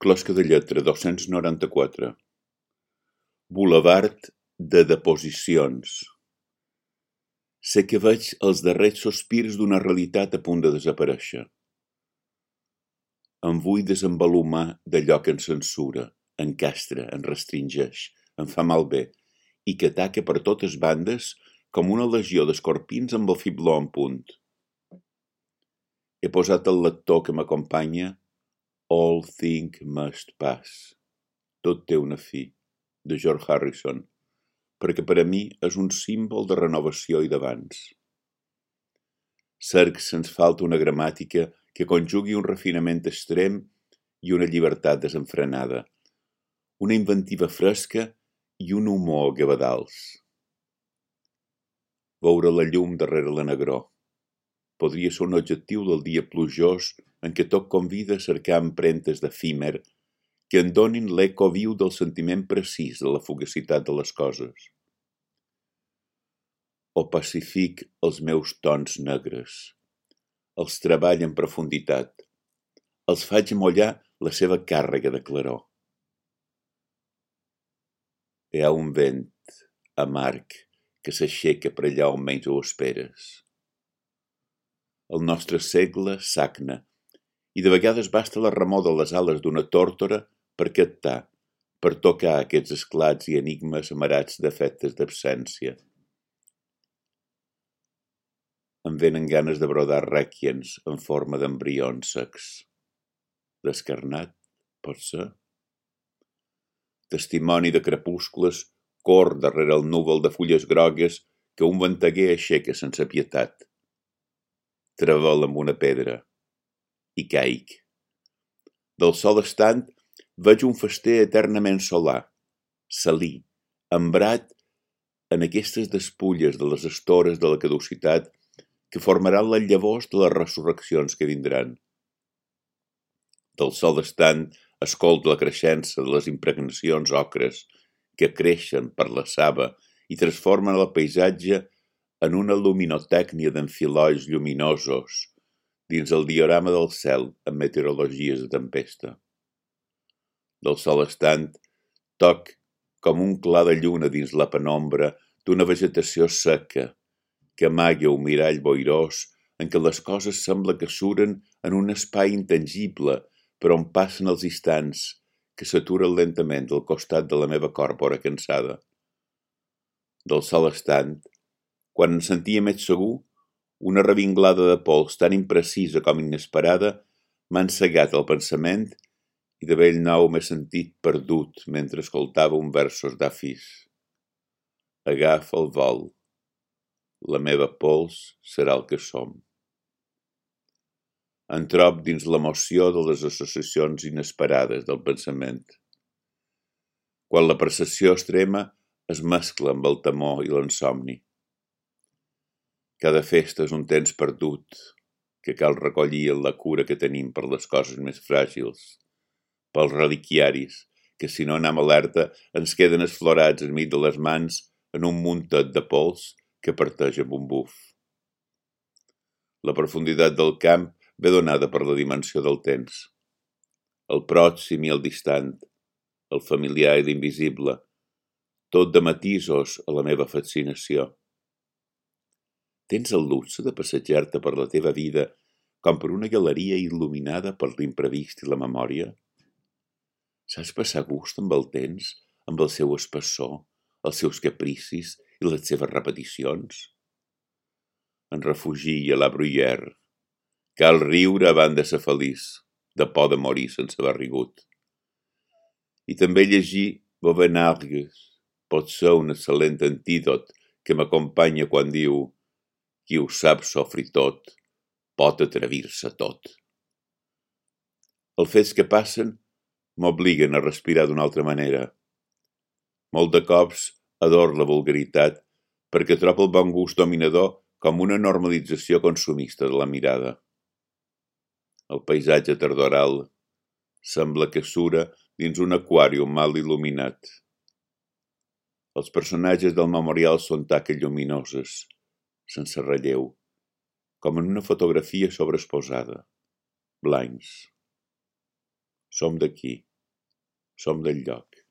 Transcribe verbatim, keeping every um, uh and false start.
Closca de lletra, dos-cents noranta-quatre. Bulevard de deposicions. Sé que veig els darrers sospirs d'una realitat a punt de desaparèixer. Em vull desenvolumar d'allò que em censura, encastra, em restringeix, em fa malbé i que ataca per totes bandes com una legió d'escorpins amb el fibló en punt. He posat el lector que m'acompanya All Things Must Pass. Tot té una fi, de George Harrison, perquè per a mi és un símbol de renovació i d'avanç. Cerc sens falta una gramàtica que conjugui un refinament extrem i una llibertat desenfrenada, una inventiva fresca i un humor gavadals. Veure la llum darrere la negror podria ser un objectiu del dia plujós en què tot convida a cercar empremtes d'efímer que en donin l'eco viu del sentiment precís de la fugacitat de les coses. O pacific els meus tons negres, els treball en profunditat, els faig mollar la seva càrrega de claror. Hi ha un vent amarg que s'aixeca per allà on menys ho esperes. El nostre segle sagna i de vegades basta la remor de les ales d'una tórtora per captar, per tocar aquests esclats i enigmes amarats d'efectes d'absència. Em venen ganes de brodar rèquiems en forma d'embrions secs. Descarnat, pot ser? Testimoni de crepuscles cor darrere el núvol de fulles grogues que un venteguer aixeca sense pietat. Trevel amb una pedra i caic. Del sol estant veig un fester eternament solar, salí, embrat en aquestes despulles de les estores de la caducitat que formaran les llavors de les resurreccions que vindran. Del sol estant escolto la creixença de les impregnacions ocres que creixen per la saba i transformen el paisatge en una luminotècnia d'enfilolls lluminosos dins el diorama del cel amb meteorologies de tempesta. Del sol estant toc com un clar de lluna dins la penombra d'una vegetació seca que amaga un mirall boirós en què les coses sembla que suren en un espai intangible per on passen els instants que s'aturen lentament al costat de la meva còrpora cansada. Del sol estant, quan em sentia més segur, una revinglada de pols tan imprecisa com inesperada m'ha encegat el pensament i de bell nou m'he sentit perdut mentre escoltava un versos d'Afis. Agafa el vol. La meva pols serà el que som. Em trob dins l'emoció de les associacions inesperades del pensament. Quan la percepció extrema es mescla amb el temor i l'insomni. Cada festa és un temps perdut que cal recollir en la cura que tenim per les coses més fràgils, pels reliquiaris, que si no anem alerta ens queden esflorats enmig de les mans en un muntet de pols que parteix amb un buf. La profunditat del camp ve donada per la dimensió del temps. El pròxim i el distant, el familiar i l'invisible, tot de matisos a la meva fascinació. Tens el luxe de passejar-te per la teva vida com per una galeria il·luminada per l'imprevist i la memòria? Saps passar gust amb el temps, amb el seu espessor, els seus capricis i les seves repeticions? En refugi a la Bruyère. Cal riure abans de ser feliç, de por de morir sense haver rigut. I també llegir Vauvenargues pot ser un excel·lent antídot que m'acompanya quan diu qui ho sap sofrir tot, pot atrevir-se tot. Els fets que passen m'obliguen a respirar d'una altra manera. Molt de cops ador la vulgaritat perquè trobo el bon gust dominador com una normalització consumista de la mirada. El paisatge tardoral sembla que sura dins un aquàrium mal il·luminat. Els personatges del memorial són taques lluminoses, sense relleu, com en una fotografia sobreexposada, blancs. Som d'aquí. som del lloc.